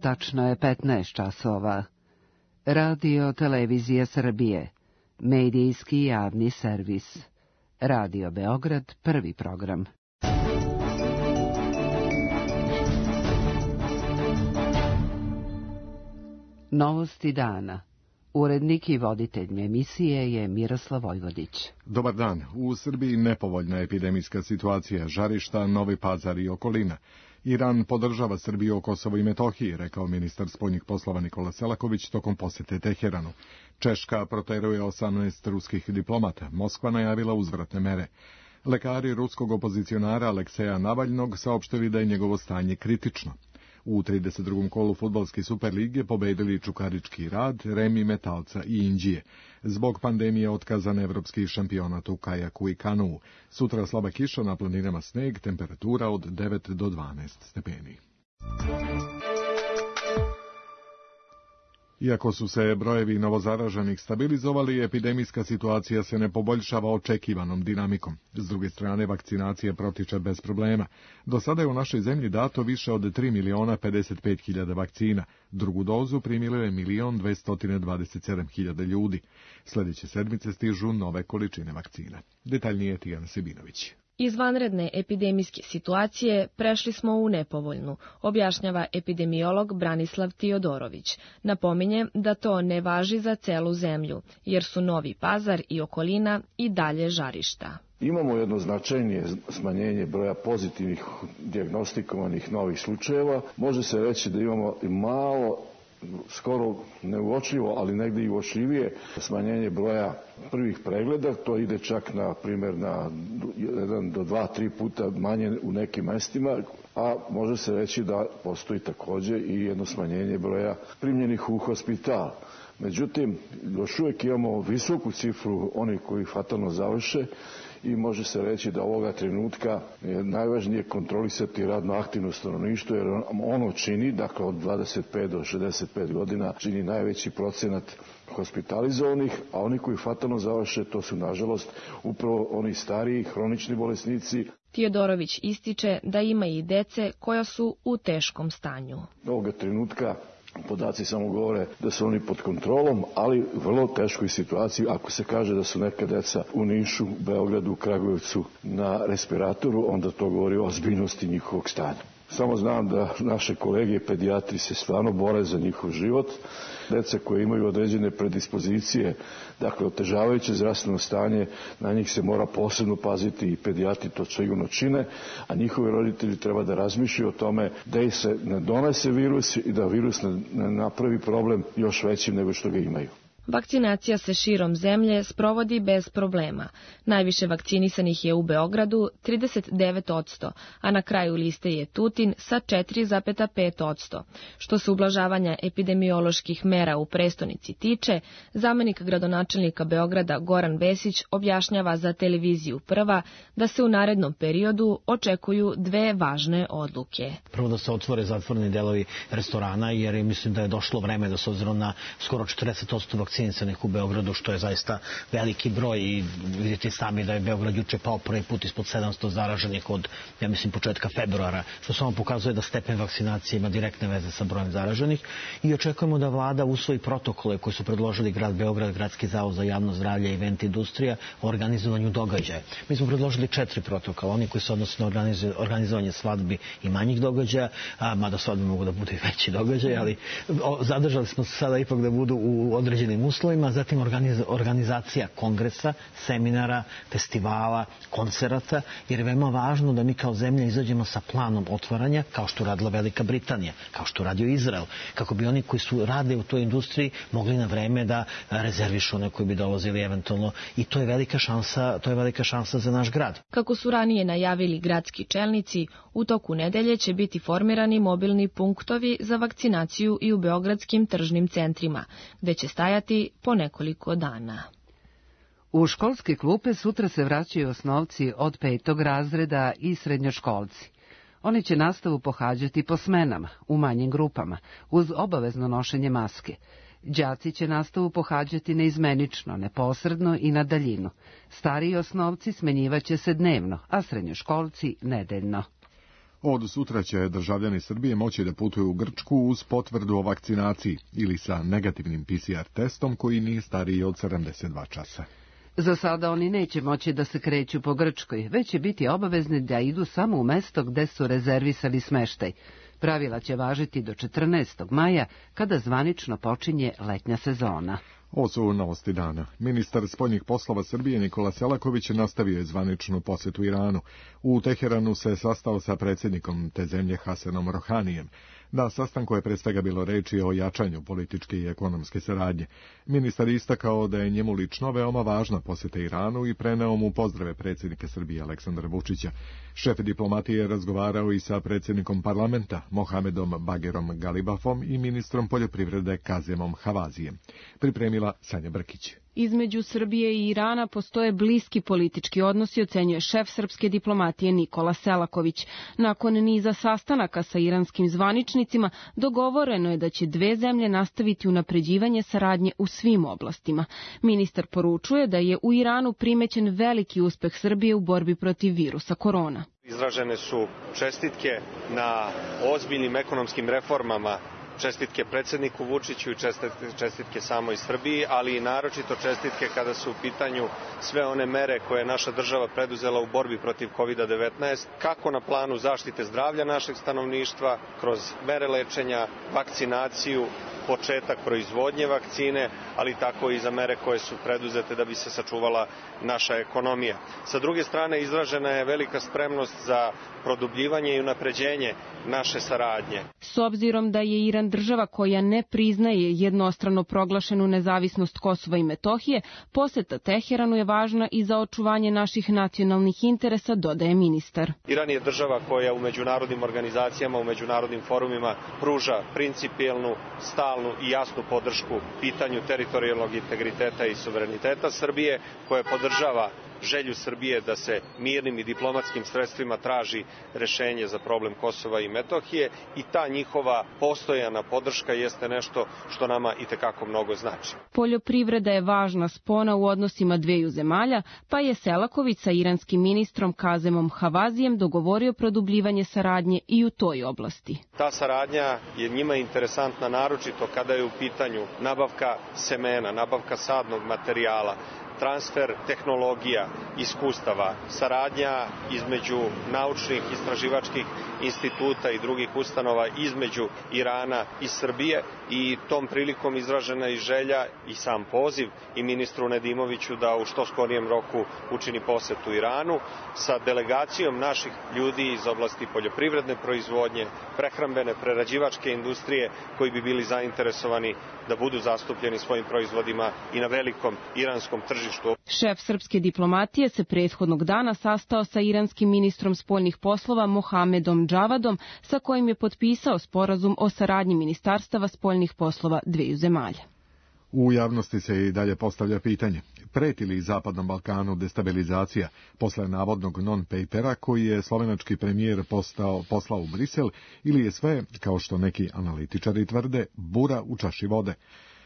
Tačno je 15 časova. Radio Televizija Srbije. Medijski javni servis. Radio Beograd, prvi program. Novosti dana. Urednik i voditelj emisije je Miroslav Vojvodić. Dobar dan. U Srbiji nepovoljna epidemijska situacija, žarišta, Novi Pazar i okolina. Iran podržava Srbiju o Kosovu i Metohiji, rekao ministar spoljnih poslova Nikola Selaković tokom posete Teheranu. Češka proteruje 18 ruskih diplomata. Moskva najavila uzvratne mere. Lekari ruskog opozicionara Alekseja Navalnog saopštili da je njegovo stanje kritično. U 32. kolu fudbalske Superlige pobedili Čukarički Rad, Remi Metalca i Inđije. Zbog pandemije otkazan evropski šampionat u kajaku i kanuu. Sutra slaba kiša, na planinama sneg, temperatura od 9 do 12 stepeni. Iako su se brojevi novozaraženih stabilizovali, epidemijska situacija se ne poboljšava očekivanom dinamikom. S druge strane, vakcinacija protiče bez problema. Do sada je u našoj zemlji dato više od 3.055.000 vakcina. Drugu dozu primilo je 1.227.000 ljudi. Sljedeće sedmice stižu nove količine vakcina. Detaljnije Tijana Sebinović. Iz vanredne epidemijske situacije prešli smo u nepovoljnu, objašnjava epidemiolog Branislav Tiodorović. Napominje da to ne važi za celu zemlju, jer su Novi Pazar i okolina i dalje žarišta. Imamo jedno značajnije smanjenje broja pozitivnih dijagnostikovanih novih slučajeva. Može se reći da imamo malo, skoro neuočljivo, ali negdje i uočljivije smanjenje broja prvih pregleda. To ide čak na primjer na 1 do 2-3 puta manje u nekim mestima, a može se reći da postoji također i jedno smanjenje broja primljenih u hospital. Međutim, još uvijek imamo visoku cifru onih koji fatalno završe i može se reći da ovoga trenutka je najvažnije kontrolisati radno aktivno stanovništvo, jer ono čini, dakle od 25 do 65 godina, čini najveći procenat hospitalizovanih, a oni koji fatalno završe, to su nažalost upravo oni stariji, hronični bolesnici. Tiodorović ističe da ima i dece koja su u teškom stanju. Ovoga trenutka podaci samo govore da su oni pod kontrolom, ali u vrlo teškoj situaciji ako se kaže da su neka deca u Nišu, Beogradu, Kragujevcu na respiratoru, onda to govori o ozbiljnosti njihovog stanja. Samo znam da naše kolege pedijatri se stvarno bore za njihov život. Deca koje imaju određene predispozicije, dakle otežavajuće zdravstveno stanje, na njih se mora posebno paziti i pedijatri to sigurno čine, a njihovi roditelji treba da razmišljaju o tome da se ne donese virus i da virus ne napravi problem još većim nego što ga imaju. Vakcinacija se širom zemlje sprovodi bez problema. Najviše vakcinisanih je u Beogradu 39%, a na kraju liste je Tutin sa 4,5%. Što se ublažavanja epidemioloških mera u prestonici tiče, zamenik gradonačelnika Beograda Goran Vesić objašnjava za televiziju Prva da se u narednom periodu očekuju dve važne odluke. Prvo da se otvore zatvoreni delovi restorana, jer mislim da je došlo vreme da s obzirom na skoro 40% vakcinisanih u Beogradu, što je zaista veliki broj i vidite sami da je Beograd juče pao prvi put ispod 700 zaraženih od, ja mislim, početka februara, što samo pokazuje da stepen vakcinacije ima direktne veze sa brojem zaraženih i očekujemo da vlada usvoji protokole koje su predložili grad Beograd, Gradski zavod za javno zdravlje i event industrija o organizovanju događaja. Mi smo predložili 4 protokola, oni koji se odnose na organizovanje svadbi i manjih događaja, mada svadbe mogu da budu i veći događaj, ali zadržali smo se sada ipak da budu u određenim uslovima, zatim organizacija kongresa, seminara, festivala, koncerata, jer je veoma važno da mi kao zemlja izađemo sa planom otvaranja, kao što radila Velika Britanija, kao što radio Izrael, kako bi oni koji su rade u toj industriji mogli na vreme da rezervišu one koji bi dolazili eventualno, i to je velika šansa za naš grad. Kako su ranije najavili gradski čelnici, u toku nedelje će biti formirani mobilni punktovi za vakcinaciju i u beogradskim tržnim centrima, gde će stajati po nekoliko dana. U školske klupe sutra se vraćaju osnovci od 5. razreda i srednjoškolci. Oni će nastavu pohađati po smenama, u manjim grupama, uz obavezno nošenje maske. Đaci će nastavu pohađati neizmenično, neposredno i na daljinu. Stariji osnovci smenjivaće se dnevno, a srednjoškolci nedeljno. Od sutra će državljani Srbije moći da putuju u Grčku uz potvrdu o vakcinaciji ili sa negativnim PCR testom koji nije stariji od 72 časa. Za sada oni neće moći da se kreću po Grčkoj, već će biti obavezni da idu samo u mesto gde su rezervisali smeštaj. Pravila će važiti do 14. maja, kada zvanično počinje letnja sezona. Ovo su novosti dana. Ministar spoljnih poslova Srbije Nikola Selaković nastavio je zvaničnu posetu Iranu. U Teheranu se sastao sa predsjednikom te zemlje Hasanom Rohanijem. Na sastanku je pre svega bilo reči o jačanju političke i ekonomske saradnje. Ministar istakao da je njemu lično veoma važna poseta Iranu i preneo mu pozdrave predsjednika Srbije Aleksandra Vučića. Šef diplomatije je razgovarao i sa predsjednikom parlamenta Mohamedom Bagerom Galibafom i ministrom poljoprivrede Kazemom Havazijem. Pripremila Sanja Brkić. Između Srbije i Irana postoje bliski politički odnosi, ocenjuje šef srpske diplomatije Nikola Selaković. Nakon niza sastanaka sa iranskim zvaničnicima, dogovoreno je da će dve zemlje nastaviti unapređivanje saradnje u svim oblastima. Ministar poručuje da je u Iranu primećen veliki uspeh Srbije u borbi protiv virusa korona. Izražene su čestitke na ozbiljnim ekonomskim reformama, čestitke predsjedniku Vučiću i čestitke samoj Srbiji, ali i naročito čestitke kada su u pitanju sve one mere koje je naša država preduzela u borbi protiv COVID-19, kako na planu zaštite zdravlja našeg stanovništva, kroz mere lečenja, vakcinaciju, početak proizvodnje vakcine, ali tako i za mere koje su preduzete da bi se sačuvala naša ekonomija. Sa druge strane, izražena je velika spremnost za produbljivanje i unapređenje naše saradnje. S obzirom da je Iran država koja ne priznaje jednostrano proglašenu nezavisnost Kosova i Metohije, poseta Teheranu je važna i za očuvanje naših nacionalnih interesa, dodaje ministar. Iran je država koja u međunarodnim organizacijama, u međunarodnim forumima pruža principijelnu, stalnu i jasnu podršku pitanju teritorijalnog integriteta i suvereniteta Srbije, koja podržava želju Srbije da se mirnim i diplomatskim sredstvima traži rešenje za problem Kosova i Metohije i ta njihova postojana podrška jeste nešto što nama itekako mnogo znači. Poljoprivreda je važna spona u odnosima dveju zemalja, pa je Selaković sa iranskim ministrom Kazemom Havazijem dogovorio produbljivanje saradnje i u toj oblasti. Ta saradnja je njima interesantna naročito kada je u pitanju nabavka semena, nabavka sadnog materijala, transfer tehnologija, iskustava, saradnja između naučnih istraživačkih instituta i drugih ustanova između Irana i Srbije i tom prilikom izražena je želja i sam poziv i ministru Nedimoviću da u što skorijem roku učini posetu Iranu sa delegacijom naših ljudi iz oblasti poljoprivredne proizvodnje, prehrambene, prerađivačke industrije koji bi bili zainteresovani da budu zastupljeni svojim proizvodima i na velikom iranskom tržištu. Šef srpske diplomatije se prethodnog dana sastao sa iranskim ministrom spoljnih poslova Mohamedom Džavadom, sa kojim je potpisao sporazum o saradnji ministarstava spoljnih poslova dveju zemalja. U javnosti se i dalje postavlja pitanje, preti li Zapadnom Balkanu destabilizacija posle navodnog non-papera koji je slovenački premijer poslao u Brisel ili je sve, kao što neki analitičari tvrde, bura u čaši vode.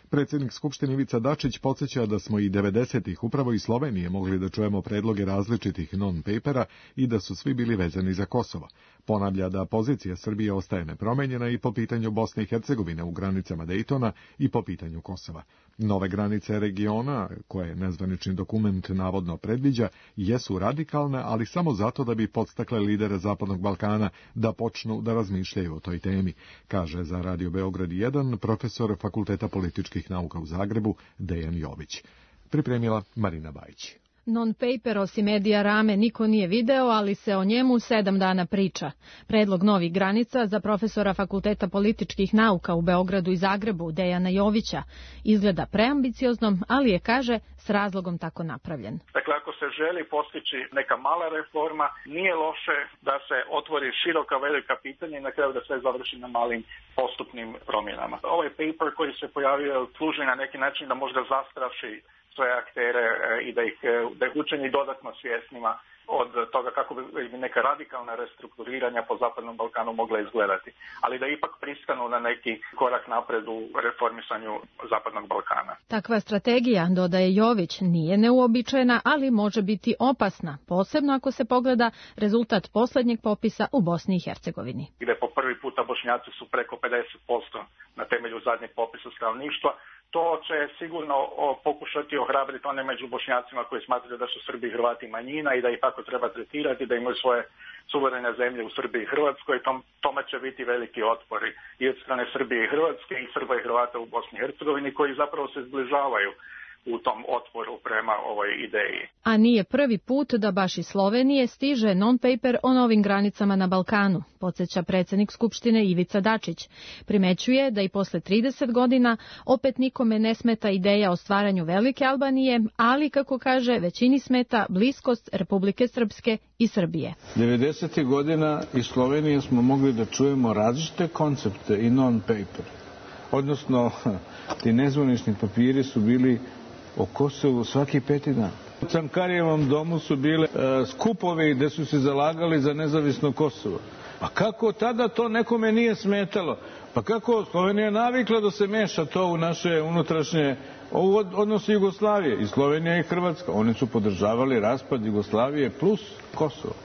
Predsjednik Skupštine Ivica Dačić podsjeća da smo i 90-ih upravo iz Slovenije mogli da čujemo predloge različitih non-papera i da su svi bili vezani za Kosovo. Ponavlja da pozicija Srbije ostaje nepromenjena i po pitanju Bosne i Hercegovine u granicama Dejtona i po pitanju Kosova. Nove granice regiona, koje nezvanični dokument navodno predviđa, jesu radikalne, ali samo zato da bi podstakle lidere Zapadnog Balkana da počnu da razmišljaju o toj temi, kaže za Radio Beograd 1 profesor Fakulteta političkih nauka u Zagrebu Dejan Jović. Pripremila Marina Bajić. Non-paper osim Edija Rame niko nije video, ali se o njemu 7 dana priča. Predlog novih granica za profesora Fakulteta političkih nauka u Beogradu i Zagrebu Dejana Jovića izgleda preambicioznom, ali je, kaže, s razlogom tako napravljen. Dakle, ako se želi postići neka mala reforma, nije loše da se otvori široka velika pitanja i na kraju da sve završi na malim postupnim promjenama. Ovaj paper koji se pojavio služi na neki način da možda zastraši sve aktere i da ih učini dodatno svjesnima od toga kako bi neka radikalna restrukturiranja po Zapadnom Balkanu mogla izgledati, ali da ipak pristanu na neki korak napred u reformisanju Zapadnog Balkana. Takva strategija, dodaje Jović, nije neuobičajena, ali može biti opasna, posebno ako se pogleda rezultat poslednjeg popisa u Bosni i Hercegovini. Gde po prvi puta Bošnjaci su preko 50% na temelju zadnjeg popisa stanovništva. To će sigurno pokušati ohrabriti one među Bošnjacima koji smatraju da su Srbi i Hrvati manjina i da ih tako treba tretirati, da imaju svoje suverene zemlje u Srbiji i Hrvatskoj. Tome će biti veliki otpori i od strane Srbije i Hrvatske i Srba i Hrvata u Bosni i Hercegovini koji zapravo se zbližavaju u tom otporu prema ovoj ideji. A nije prvi put da baš iz Slovenije stiže non-paper o novim granicama na Balkanu, podsjeća predsjednik Skupštine Ivica Dačić. Primećuje da i posle 30 godina opet nikome ne smeta ideja o stvaranju Velike Albanije, ali, kako kaže, većini smeta bliskost Republike Srpske i Srbije. 90. godina iz Slovenije smo mogli da čujemo različite koncepte i non-paper. Odnosno, ti nezvanični papiri su bili o Kosovu svaki 5. dan. U Cankarijevom domu su bile skupovi gde su se zalagali za nezavisno Kosovo. Pa kako tada to nekome nije smetalo? Pa kako Slovenija navikla da se meša to u naše unutrašnje odnose Jugoslavije, i Slovenija i Hrvatska. Oni su podržavali raspad Jugoslavije plus Kosovo.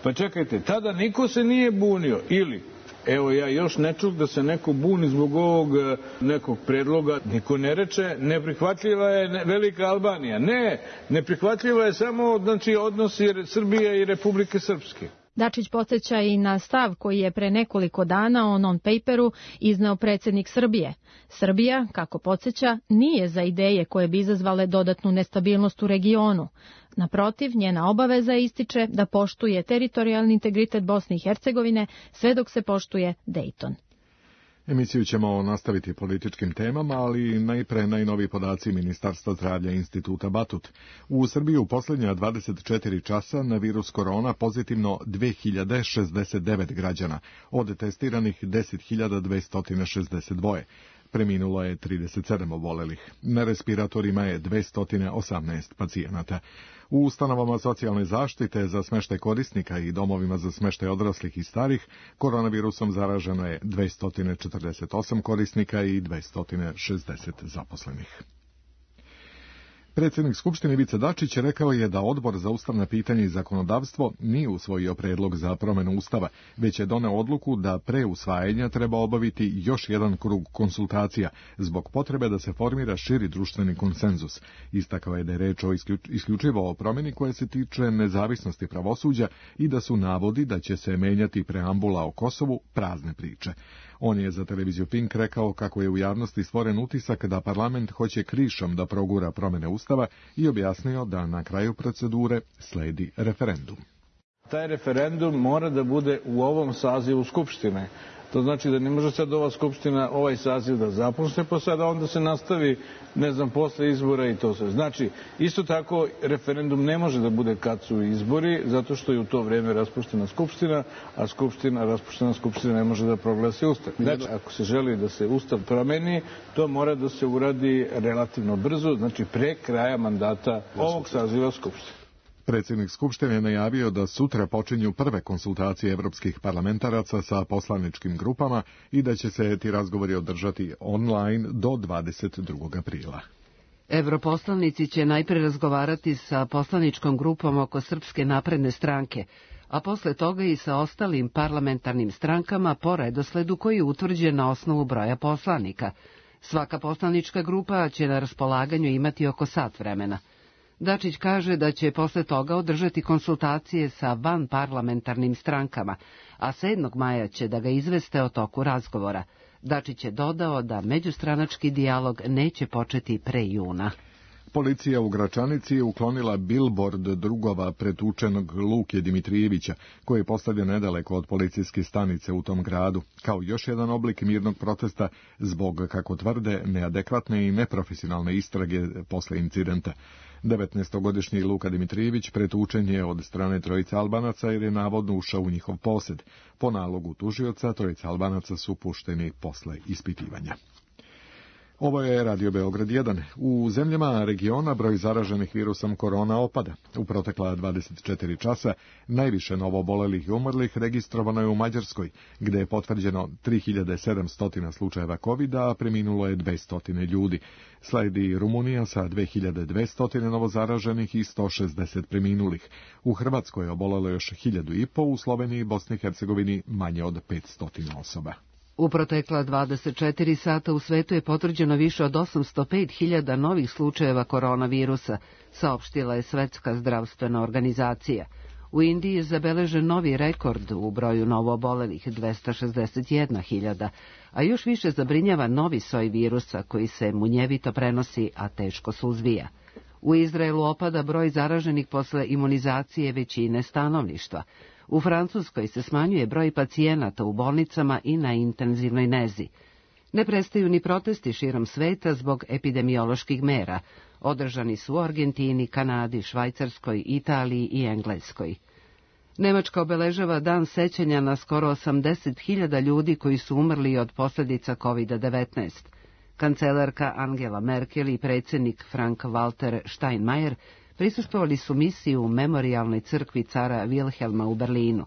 Pa čekajte, tada niko se nije bunio ili... Evo, ja još ne čuh da se neko buni zbog ovog nekog predloga. Niko ne reče, neprihvatljiva je Velika Albanija. Ne, neprihvatljiva je samo, znači, odnosi Srbije i Republike Srpske. Dačić podsjeća i na stav koji je pre nekoliko dana o non-paperu izneo predsjednik Srbije. Srbija, kako podsjeća, nije za ideje koje bi izazvale dodatnu nestabilnost u regionu. Naprotiv, njena obaveza ističe da poštuje teritorijalni integritet Bosne i Hercegovine sve dok se poštuje Dejton. Emisiju ćemo nastaviti političkim temama, ali najpre najnoviji podaci Ministarstva zdravlja Instituta Batut. U Srbiji u posljednja 24 časa na virus korona pozitivno 2069 građana, od testiranih 10.262. Preminulo je 37 obolelih. Na respiratorima je 218 pacijenata. U ustanovama socijalne zaštite za smeštaj korisnika i domovima za smeštaj odraslih i starih koronavirusom zaraženo je 248 korisnika i 260 zaposlenih. Predsjednik Skupštine Ivica Dačić rekao je da Odbor za ustavna pitanja i zakonodavstvo nije usvojio predlog za promjenu Ustava, već je doneo odluku da pre usvajanja treba obaviti još jedan krug konsultacija zbog potrebe da se formira širi društveni konsenzus. Istakao je da je reč o isključivo o promjeni koja se tiče nezavisnosti pravosuđa i da su navodi da će se menjati preambula o Kosovu prazne priče. On je za televiziju Pink rekao kako je u javnosti stvoren utisak da parlament hoće krišom da progura promjene Ustava i objasnio da na kraju procedure sledi referendum. Taj referendum mora da bude u ovom sazivu Skupštine. To znači da ne može sad ova Skupština, ovaj saziv da započne, pa sada onda se nastavi, ne znam, posle izbora i to sve. Znači, isto tako, referendum ne može da bude kad su izbori, zato što je u to vreme raspuštena Skupština, a raspuštena Skupština ne može da proglasi Ustav. Znači, ako se želi da se Ustav promeni, to mora da se uradi relativno brzo, znači pre kraja mandata ovog saziva Skupštine. Predsjednik Skupštine je najavio da sutra počinju prve konsultacije evropskih parlamentaraca sa poslaničkim grupama i da će se ti razgovori održati online do 22. aprila. Evroposlanici će najpre razgovarati sa poslaničkom grupom oko Srpske napredne stranke, a posle toga i sa ostalim parlamentarnim strankama po redosledu koji je utvrđen na osnovu broja poslanika. Svaka poslanička grupa će na raspolaganju imati oko sat vremena. Dačić kaže da će posle toga održati konsultacije sa vanparlamentarnim strankama, a 7. maja će da ga izveste o toku razgovora. Dačić je dodao da međustranački dijalog neće početi pre juna. Policija u Gračanici je uklonila bilbord drugova pretučenog Luke Dimitrijevića, koji je postavljen nedaleko od policijske stanice u tom gradu, kao još jedan oblik mirnog protesta zbog, kako tvrde, neadekvatne i neprofesionalne istrage posle incidenta. 19-godišnji Luka Dimitrijević pretučen je od strane trojice Albanaca jer je navodno ušao u njihov posed. Po nalogu tužioca, trojica Albanaca su pušteni posle ispitivanja. Ovo je Radio Beograd 1. U zemljama regiona broj zaraženih virusom korona opada. U protekla 24 časa najviše novoobolelih i umrlih registrovano je u Mađarskoj, gde je potvrđeno 3700 slučajeva COVID-a, a preminulo je 200 ljudi. Sledi Rumunija sa 2200 novozaraženih i 160 preminulih. U Hrvatskoj je obolelo još 1500, u Sloveniji i Bosni i Hercegovini manje od 500 osoba. U protekla 24 sata u svetu je potvrđeno više od 805.000 novih slučajeva koronavirusa, saopštila je Svetska zdravstvena organizacija. U Indiji je zabeležen novi rekord u broju novoobolelih 261.000, a još više zabrinjava novi soj virusa koji se munjevito prenosi, a teško suzbija. U Izraelu opada broj zaraženih posle imunizacije većine stanovništva. U Francuskoj se smanjuje broj pacijenata u bolnicama i na intenzivnoj nezi. Ne prestaju ni protesti širom sveta zbog epidemioloških mera. Održani su u Argentini, Kanadi, Švajcarskoj, Italiji i Engleskoj. Nemačka obeležava dan sećanja na skoro 80.000 ljudi koji su umrli od posljedica COVID-19. Kancelarka Angela Merkel i predsjednik Frank-Walter Steinmeier prisustvovali su misiji u memorijalnoj crkvi cara Wilhelma u Berlinu.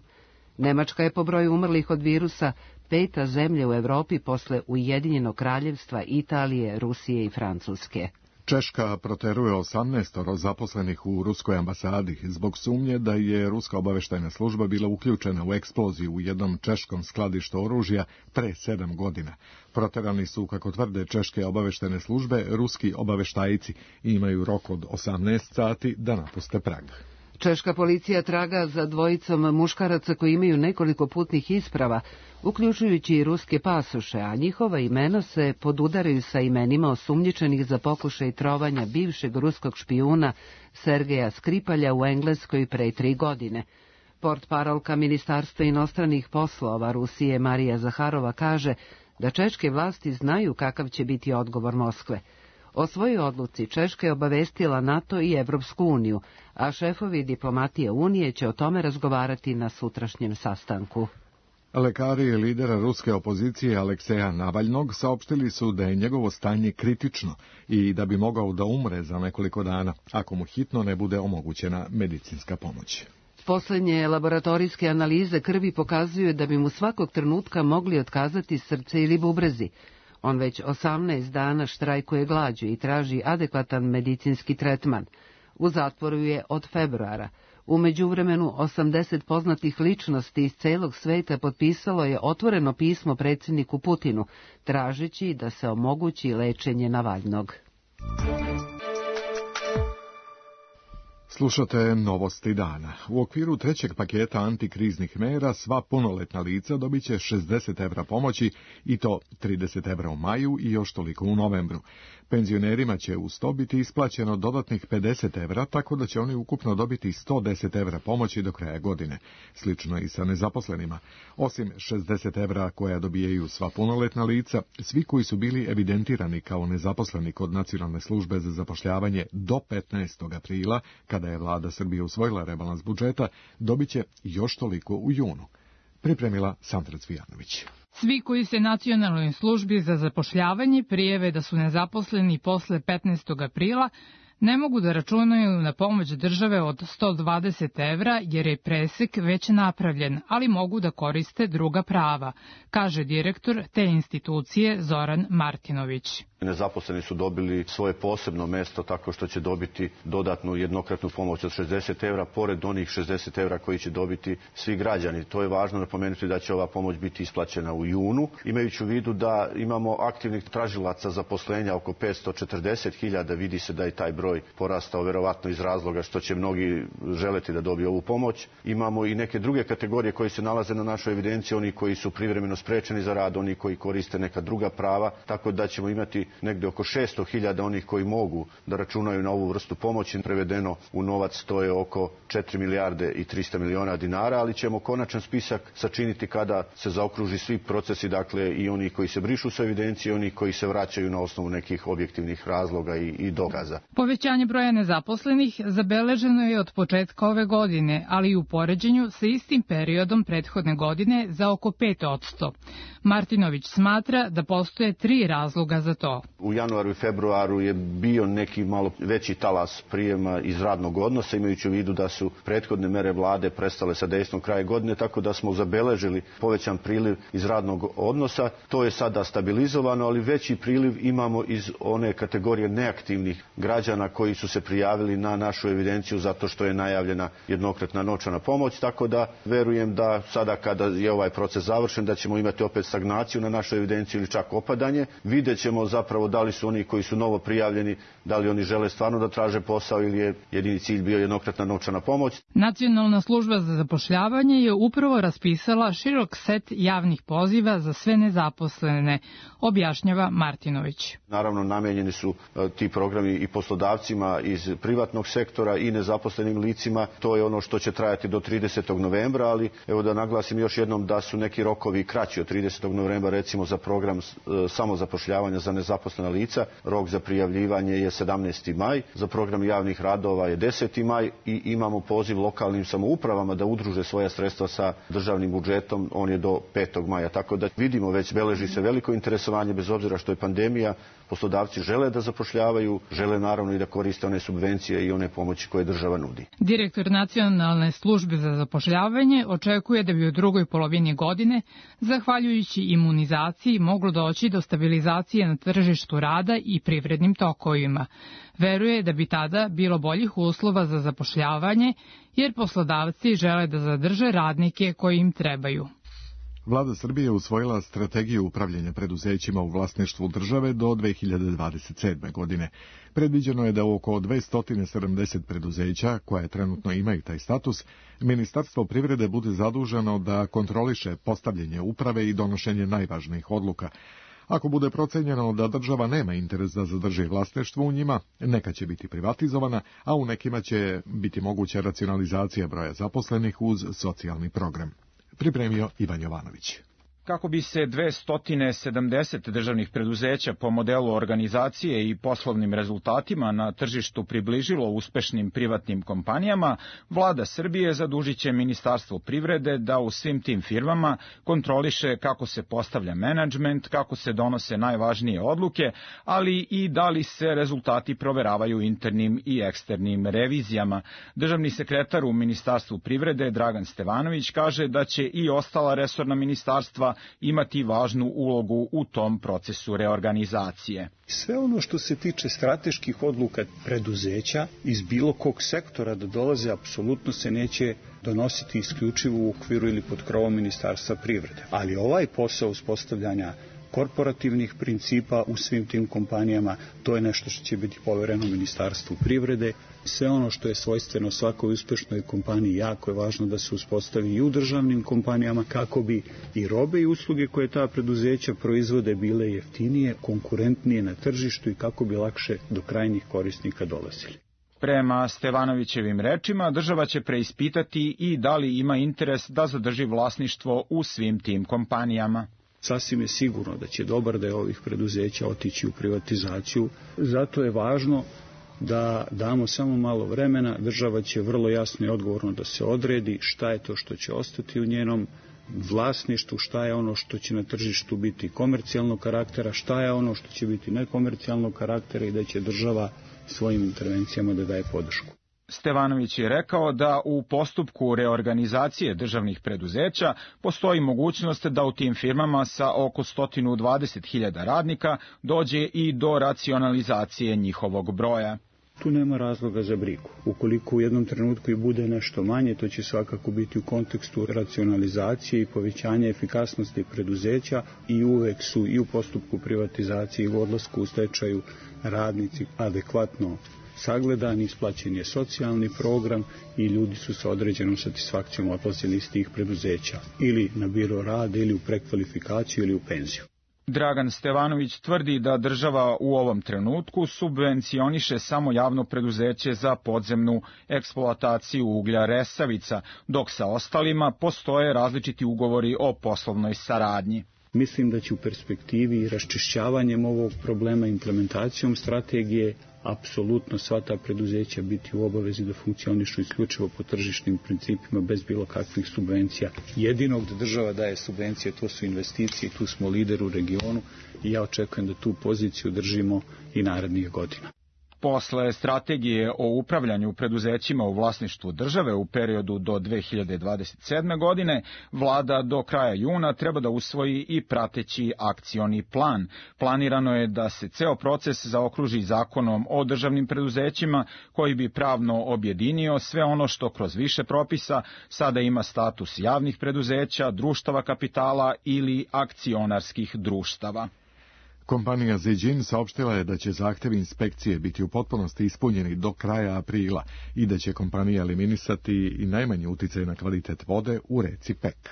Nemačka je po broju umrlih od virusa 5. zemlja u Europi posle Ujedinjenog kraljevstva, Italije, Rusije i Francuske. Češka proteruje 18 zaposlenih u ruskoj ambasadi zbog sumnje da je ruska obaveštajna služba bila uključena u eksploziju u jednom češkom skladištu oružja pre 7 godina. Proterani su, kako tvrde češke obaveštajne službe, ruski obaveštajci i imaju rok od 18 sati da napuste Prag. Češka policija traga za dvojicom muškaraca koji imaju nekoliko putnih isprava, uključujući i ruske pasoše, a njihova imena se podudaraju sa imenima osumnjičenih za pokušaj trovanja bivšeg ruskog špijuna Sergeja Skripalja u Engleskoj pre 3 godine. Portparolka Ministarstva inostranih poslova Rusije Marija Zaharova kaže da češke vlasti znaju kakav će biti odgovor Moskve. O svojoj odluci Češka je obavestila NATO i Evropsku uniju, a šefovi diplomatije Unije će o tome razgovarati na sutrašnjem sastanku. Lekari lidera ruske opozicije Alekseja Navalnog saopštili su da je njegovo stanje kritično i da bi mogao da umre za nekoliko dana, ako mu hitno ne bude omogućena medicinska pomoć. Poslednje laboratorijske analize krvi pokazuju da bi mu svakog trenutka mogli otkazati srce ili bubrezi. On već 18 dana štrajkuje glađu i traži adekvatan medicinski tretman. U zatvoru je od februara. U međuvremenu 80 poznatih ličnosti iz celog sveta potpisalo je otvoreno pismo predsjedniku Putinu, tražeći da se omogući lečenje Navalnog. Slušate novosti dana. U okviru 3. paketa antikriznih mera sva punoletna lica dobit će 60 evra pomoći i to 30 evra u maju i još toliko u novembru. Penzionerima će uz to biti isplaćeno dodatnih 50 evra, tako da će oni ukupno dobiti 110 evra pomoći do kraja godine. Slično i sa nezaposlenima. Osim 60 evra koja dobijaju sva punoletna lica, svi koji su bili evidentirani kao nezaposleni kod Nacionalne službe za zapošljavanje do 15. aprila, kada je vlada Srbije usvojila rebalans budžeta, dobit će još toliko u junu. Pripremila Sandra Cvijanović. Svi koji se Nacionalnoj službi za zapošljavanje prijave da su nezaposleni posle 15. aprila ne mogu da računaju na pomoć države od 120 evra jer je presek već napravljen, ali mogu da koriste druga prava, kaže direktor te institucije Zoran Martinović. Nezaposleni su dobili svoje posebno mesto tako što će dobiti dodatnu jednokratnu pomoć od 60 evra, pored onih 60 evra koji će dobiti svi građani. To je važno napomenuti da će ova pomoć biti isplaćena u junu, imajući u vidu da imamo aktivnih tražilaca zaposlenja oko 540.000, vidi se da je taj broj porastao verovatno iz razloga što će mnogi želeti da dobiju ovu pomoć. Imamo i neke druge kategorije koje se nalaze na našoj evidenciji, oni koji su privremeno sprečeni za rad, oni koji koriste neka druga prava, tako da ćemo imati negde oko 600.000 onih koji mogu da računaju na ovu vrstu pomoći. Prevedeno u novac to je oko 4 milijarde i 300 miliona dinara, ali ćemo konačan spisak sačiniti kada se zaokruži svi procesi, dakle i oni koji se brišu sa evidencije, oni koji se vraćaju na osnovu nekih objektivnih razloga i dokaza. Povećanje broja nezaposlenih zabeleženo je od početka ove godine, ali i u poređenju sa istim periodom prethodne godine za oko 5%. Martinović smatra da postoje 3 razloga za to. U januaru i februaru je bio neki malo veći talas prijema iz radnog odnosa, imajući u vidu da su prethodne mere vlade prestale sa dejstvom kraja godine, tako da smo zabeležili povećan priliv iz radnog odnosa. To je sada stabilizovano, ali veći priliv imamo iz one kategorije neaktivnih građana koji su se prijavili na našu evidenciju zato što je najavljena jednokratna novčana pomoć, tako da verujem da sada kada je ovaj proces završen da ćemo imati opet stagnaciju na našoj evidenciji ili čak opadanje. Vidjet ćemo zapravo da li su oni koji su novo prijavljeni, da li oni žele stvarno da traže posao ili je jedini cilj bio jednokratna novčana pomoć. Nacionalna služba za zapošljavanje je upravo raspisala širok set javnih poziva za sve nezaposlene, objašnjava Martinović. Naravno, namenjeni su ti programi i poslodavcima iz privatnog sektora i nezaposlenim licima. To je ono što će trajati do 30. novembra, ali evo da naglasim još jednom da su neki rokovi kraći od 30. novembra, recimo za program samozapošljavanja za nezaposlena lica. Rok za prijavljivanje je 17. maj, za program javnih radova je 10. maj i imamo poziv lokalnim samoupravama da udruže svoja sredstva sa državnim budžetom, on je do 5. maja. Tako da vidimo već beleži se veliko interesovanje bez obzira što je pandemija. Poslodavci žele da zapošljavaju, žele naravno i da koriste one subvencije i one pomoći koje država nudi. Direktor Nacionalne službe za zapošljavanje očekuje da bi u drugoj polovini godine, zahvaljujući imunizaciji, moglo doći do stabilizacije na tržištu rada i privrednim tokovima. Veruje da bi tada bilo boljih uslova za zapošljavanje, jer poslodavci žele da zadrže radnike koji im trebaju. Vlada Srbije usvojila strategiju upravljanja preduzećima u vlasništvu države do 2027. godine. Predviđeno je da oko 270 preduzeća, koje trenutno imaju taj status, Ministarstvo privrede bude zaduženo da kontroliše postavljanje uprave i donošenje najvažnijih odluka. Ako bude procenjeno da država nema interes da zadrži vlasništvo u njima, neka će biti privatizovana, a u nekima će biti moguća racionalizacija broja zaposlenih uz socijalni program. Pripremio Ivan Jovanović. Kako bi se 270 državnih preduzeća po modelu organizacije i poslovnim rezultatima na tržištu približilo uspešnim privatnim kompanijama, Vlada Srbije zadužit će Ministarstvo privrede da u svim tim firmama kontroliše kako se postavlja menadžment, kako se donose najvažnije odluke, ali i da li se rezultati proveravaju internim i eksternim revizijama. Državni sekretar u Ministarstvu privrede Dragan Stevanović kaže da će i ostala resorna ministarstva imati važnu ulogu u tom procesu reorganizacije. Sve ono što se tiče strateških odluka preduzeća iz bilo kog sektora da dolaze, apsolutno se neće donositi isključivo u okviru ili pod krovom Ministarstva privrede. Ali ovaj posao uspostavljanja korporativnih principa u svim tim kompanijama, to je nešto što će biti povereno Ministarstvu privrede. Sve ono što je svojstveno svakoj uspešnoj kompaniji, jako je važno da se uspostavi i u državnim kompanijama kako bi i robe i usluge koje ta preduzeća proizvode bile jeftinije, konkurentnije na tržištu i kako bi lakše do krajnjih korisnika dolazili. Prema Stevanovićevim rečima, država će preispitati i da li ima interes da zadrži vlasništvo u svim tim kompanijama. Sasvim je sigurno da će dobar deo ovih preduzeća otići u privatizaciju. Zato je važno da damo samo malo vremena. Država će vrlo jasno i odgovorno da se odredi šta je to što će ostati u njenom vlasništvu, šta je ono što će na tržištu biti komercijalnog karaktera, šta je ono što će biti nekomercijalnog karaktera i da će država svojim intervencijama da daje podršku. Stevanović je rekao da u postupku reorganizacije državnih preduzeća postoji mogućnost da u tim firmama sa oko 120.000 radnika dođe i do racionalizacije njihovog broja. Tu nema razloga za brigu. Ukoliko u jednom trenutku i bude nešto manje, to će svakako biti u kontekstu racionalizacije i povećanja efikasnosti preduzeća i uvek su i u postupku privatizacije i u odlasku u stečaju radnici adekvatno sagledan, isplaćen je socijalni program i ljudi su sa određenom satisfakcijom odlazili iz tih preduzeća ili na biro rada ili u prekvalifikaciju ili u penziju. Dragan Stevanović tvrdi da država u ovom trenutku subvencioniše samo javno preduzeće za podzemnu eksploataciju uglja Resavica, dok sa ostalima postoje različiti ugovori o poslovnoj saradnji. Mislim da će u perspektivi raščišćavanjem ovog problema, implementacijom strategije, apsolutno sva ta preduzeća biti u obavezi da funkcionišu isključivo po tržišnim principima bez bilo kakvih subvencija. Jedino gde država daje subvencije, to su investicije, tu smo lider u regionu i ja očekujem da tu poziciju držimo i narednih godina. Posle strategije o upravljanju preduzećima u vlasništvu države u periodu do 2027. godine, vlada do kraja juna treba da usvoji i prateći akcioni plan. Planirano je da se ceo proces zaokruži zakonom o državnim preduzećima koji bi pravno objedinio sve ono što kroz više propisa sada ima status javnih preduzeća, društava kapitala ili akcionarskih društava. Kompanija Zijin saopštila je da će zahtevi inspekcije biti u potpunosti ispunjeni do kraja aprila i da će kompanija eliminisati i najmanji uticaj na kvalitet vode u reci Pek.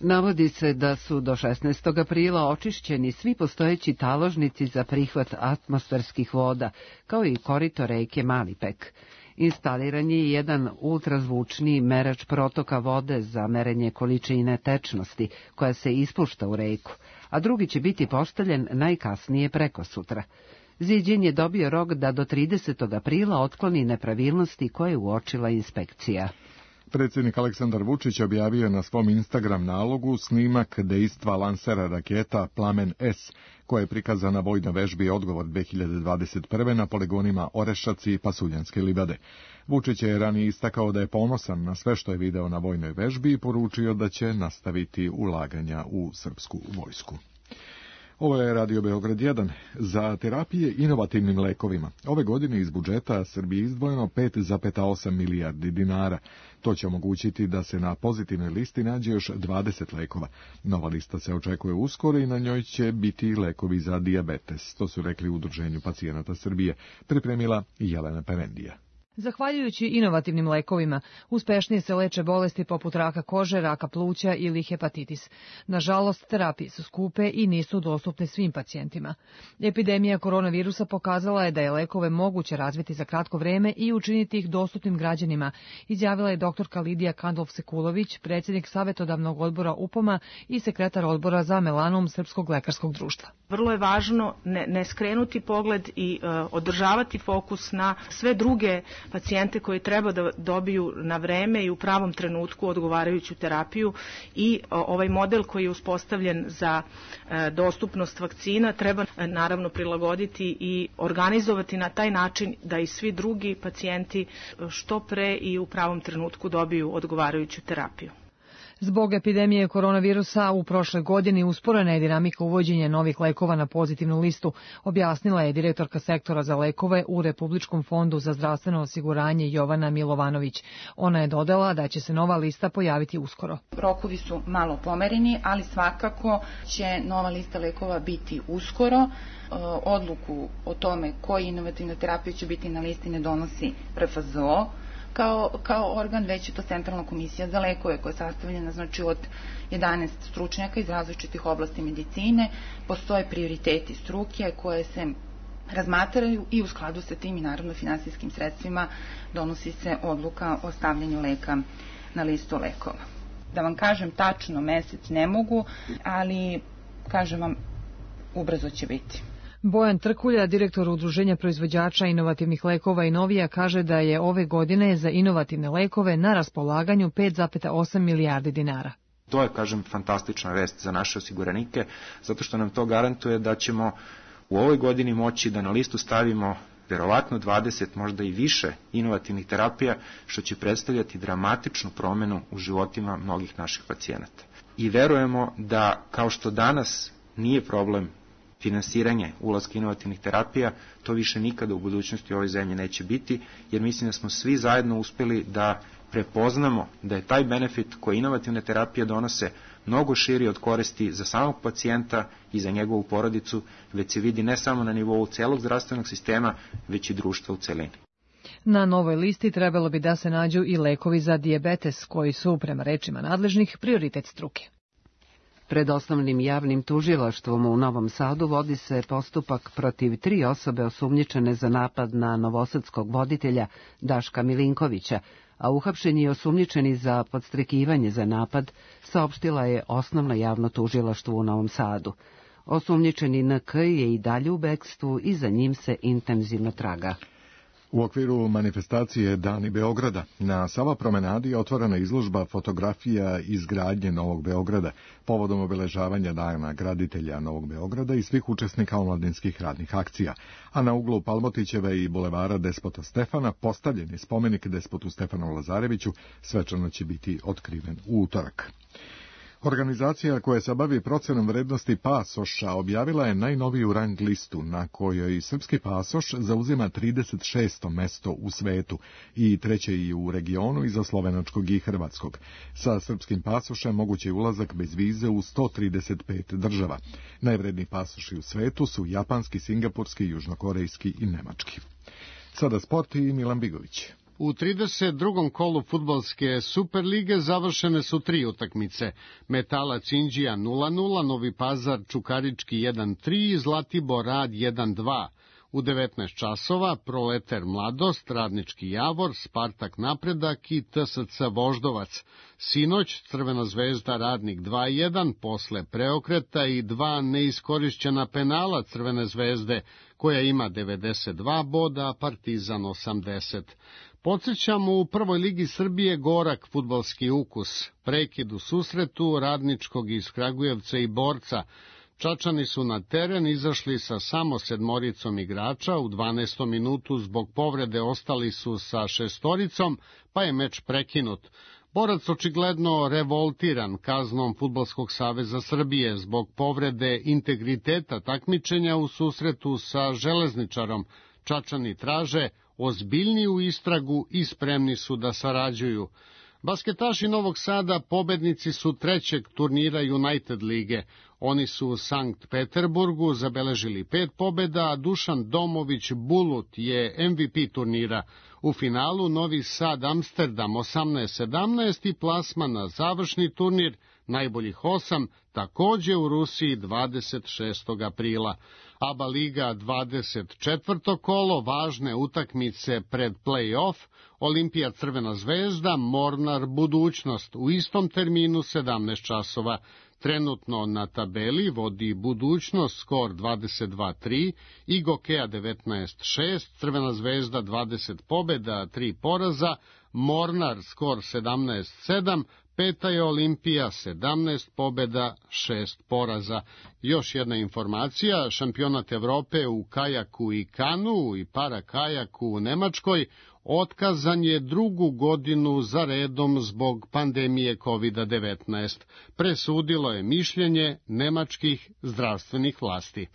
Navodi se da su do 16. aprila očišćeni svi postojeći taložnici za prihvat atmosferskih voda, kao i korito reke Mali Pek. Instaliran je jedan ultrazvučni merač protoka vode za merenje količine tečnosti koja se ispušta u reku, a drugi će biti postavljen najkasnije prekosutra. Zijin je dobio rok da do 30. aprila otkloni nepravilnosti koje je uočila inspekcija. Predsjednik Aleksandar Vučić objavio na svom Instagram nalogu snimak dejstva lansera raketa Plamen S, koja je prikazana na vojnoj vežbi Odgovor 2021. na poligonima Orešac i Pasuljanske livade. Vučić je ranije istakao da je ponosan na sve što je video na vojnoj vežbi i poručio da će nastaviti ulaganja u srpsku vojsku. Ovo je Radio Beograd 1. Za terapije inovativnim lekovima ove godine iz budžeta Srbije izdvojeno 5,8 milijardi dinara. To će omogućiti da se na pozitivnoj listi nađe još 20 lekova. Nova lista se očekuje uskoro i na njoj će biti lekovi za dijabetes. To su rekli u Udruženju pacijenata Srbije. Pripremila Jelena Pevendija. Zahvaljujući inovativnim lekovima, uspešnije se leče bolesti poput raka kože, raka pluća ili hepatitis. Nažalost, terapije su skupe i nisu dostupne svim pacijentima. Epidemija koronavirusa pokazala je da je lekove moguće razviti za kratko vreme i učiniti ih dostupnim građanima, izjavila je doktorka Lidija Kandolf-Sekulović, predsjednik savjetodavnog odbora UPOM-a i sekretar odbora za melanom Srpskog lekarskog društva. Vrlo je važno ne skrenuti pogled i održavati fokus na sve druge pacijente koji treba da dobiju na vreme i u pravom trenutku odgovarajuću terapiju i ovaj model koji je uspostavljen za dostupnost vakcina treba naravno prilagoditi i organizovati na taj način da i svi drugi pacijenti što pre i u pravom trenutku dobiju odgovarajuću terapiju. Zbog epidemije koronavirusa u prošloj godini usporena je dinamika uvođenja novih lekova na pozitivnu listu, objasnila je direktorka sektora za lekove u Republičkom fondu za zdravstveno osiguranje Jovana Milovanović. Ona je dodala da će se nova lista pojaviti uskoro. Rokovi su malo pomereni, ali svakako će nova lista lekova biti uskoro. Odluku o tome koji inovativna terapija će biti na listi ne donosi RFZO, kao organ, već je to Centralna komisija za lekove koja je sastavljena od 11 stručnjaka iz različitih oblasti medicine. Postoje prioriteti struke koje se razmatraju i u skladu sa tim i naravno finansijskim sredstvima donosi se odluka o stavljanju leka na listu lekova. Da vam kažem tačno mesec ne mogu, ali kažem vam ubrzo će biti. Bojan Trkulja, direktor Udruženja proizvođača inovativnih lekova i Novija, kaže da je ove godine za inovativne lekove na raspolaganju 5,8 milijardi dinara. To je, kažem, fantastična vest za naše osiguranike, zato što nam to garantuje da ćemo u ovoj godini moći da na listu stavimo verovatno 20, možda i više inovativnih terapija, što će predstavljati dramatičnu promenu u životima mnogih naših pacijenata. I verujemo da, kao što danas nije problem finansiranje ulaska inovativnih terapija, to više nikada u budućnosti u ovoj zemlji neće biti, jer mislim da smo svi zajedno uspeli da prepoznamo da je taj benefit koji inovativne terapije donose mnogo širi od koristi za samog pacijenta i za njegovu porodicu, već se vidi ne samo na nivou celog zdravstvenog sistema, već i društva u celini. Na novoj listi trebalo bi da se nađu i lekovi za dijabetes, koji su, prema rečima nadležnih, prioritet struke. Pred osnovnim javnim tužilaštvom u Novom Sadu vodi se postupak protiv 3 osobe osumnjičene za napad na novosadskog voditelja Daška Milinkovića, a uhapšen je osumnjičeni za podstrekivanje za napad, saopštila je Osnovno javno tužilaštvo u Novom Sadu. Osumnjičeni NK je i dalje u bekstvu i za njim se intenzivno traga. U okviru manifestacije Dani Beograda na Sava promenadi je otvorena izložba fotografija izgradnje Novog Beograda povodom obeležavanja Dana graditelja Novog Beograda i svih učesnika omladinskih radnih akcija, a na uglu Palmotićeve i bulevara Despota Stefana postavljen je spomenik Despotu Stefanu Lazareviću, svečano će biti otkriven u utorak. Organizacija koja se bavi procenom vrednosti pasoša objavila je najnoviju rang listu na kojoj srpski pasoš zauzima 36. mesto u svetu i treće i u regionu iza slovenačkog i hrvatskog. Sa srpskim pasošem moguće je ulazak bez vize u 135 država. Najvredniji pasoši u svetu su japanski, singapurski, južnokorejski i nemački. Sada sport i Milan Bigović. U 32. kolu fudbalske Superlige završene su 3 utakmice. Metalac Inđija 0-0, Novi Pazar Čukarički 1-3, Zlatibor Rad 1-2. U 19 časova Proleter Mladost, Radnički Javor, Spartak Napredak i TSC Voždovac. Sinoć Crvena zvezda Radnik 2-1, posle preokreta i 2 neiskorišćena penala Crvene zvezde, koja ima 92 boda, a Partizan 80. Podsjećamo, u prvoj ligi Srbije gorak fudbalski ukus. Prekid u susretu Radničkog iz Kragujevca i Borca. Čačani su na teren izašli sa samo 7 igrača, u 12. minutu zbog povrede ostali su sa 6, pa je meč prekinut. Borac očigledno revoltiran kaznom Fudbalskog saveza Srbije zbog povrede integriteta takmičenja u susretu sa Železničarom. Čačani traže ozbiljniju istragu i spremni su da sarađuju. Basketaši Novog Sada pobednici su 3. turnira United lige. Oni su u Sankt Peterburgu zabeležili 5 pobeda, a Dušan Domović Bulut je MVP turnira. U finalu Novi Sad Amsterdam 18-17 i plasman na završni turnir najboljih 8, takođe u Rusiji 26. aprila. ABA Liga 24. kolo, važne utakmice pred play-off, Olimpija Crvena zvezda, Mornar Budućnost, u istom terminu 17 časova. Trenutno na tabeli vodi Budućnost skor 22-3, Igokea 19-6, Crvena zvezda 20 pobeda, 3 poraza, Mornar skor 17-7, peta je Olimpija 17 pobeda, 6 poraza. Još jedna informacija, šampionat Evrope u kajaku i kanu i para kajaku u Nemačkoj otkazan je 2. godinu za redom zbog pandemije COVID-19. Presudilo je mišljenje nemačkih zdravstvenih vlasti.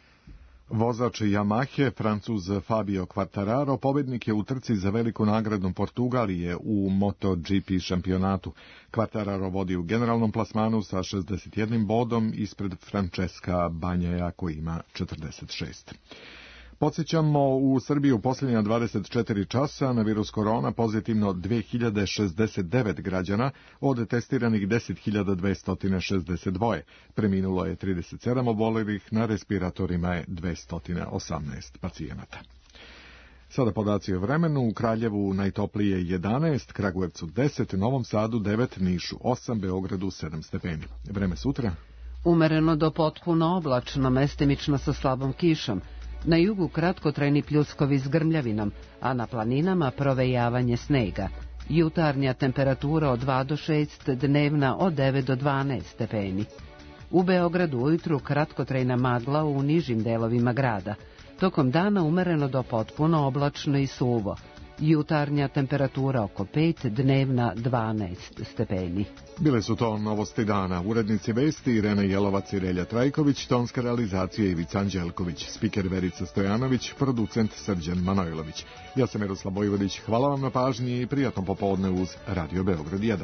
Vozač Yamahe, Francuz Fabio Quartararo, pobednik je u trci za veliku nagradu Portugalije u MotoGP šampionatu. Quartararo vodi u generalnom plasmanu sa 61 bodom ispred Francesca Bagnaia koji ima 46. Podsjećamo, u Srbiji u posljednja 24 časa na virus korona pozitivno 2069 građana od testiranih 10.262. Preminulo je 37 obolelih, na respiratorima je 218 pacijenata. Sada podaci o vremenu. U Kraljevu najtoplije 11, Kragujevcu 10, Novom Sadu 9, Nišu 8, Beogradu 7 stepeni. Vreme sutra? Umereno do potpuno oblačno, mestimično sa slabom kišom. Na jugu kratkotrajni pljuskovi s grmljavinom, a na planinama provejavanje snega. Jutarnja temperatura od 2 do 6, dnevna od 9 do 12 stepeni. U Beogradu ujutru kratkotrajna magla u nižim delovima grada. Tokom dana umereno do potpuno oblačno i suvo. Jutarnja temperatura oko 5, dnevna 12 stepeni. Bile su to novosti dana. Urednici vesti Irena Jelovac i Relja Trajković, tonska realizacija Ivica Anđelković, spiker Verica Stojanović, producent Srđan Manojlović. Ja sam Miroslav Vojvodić, hvala vam na pažnji i prijatno popodne uz Radio Beograd 1.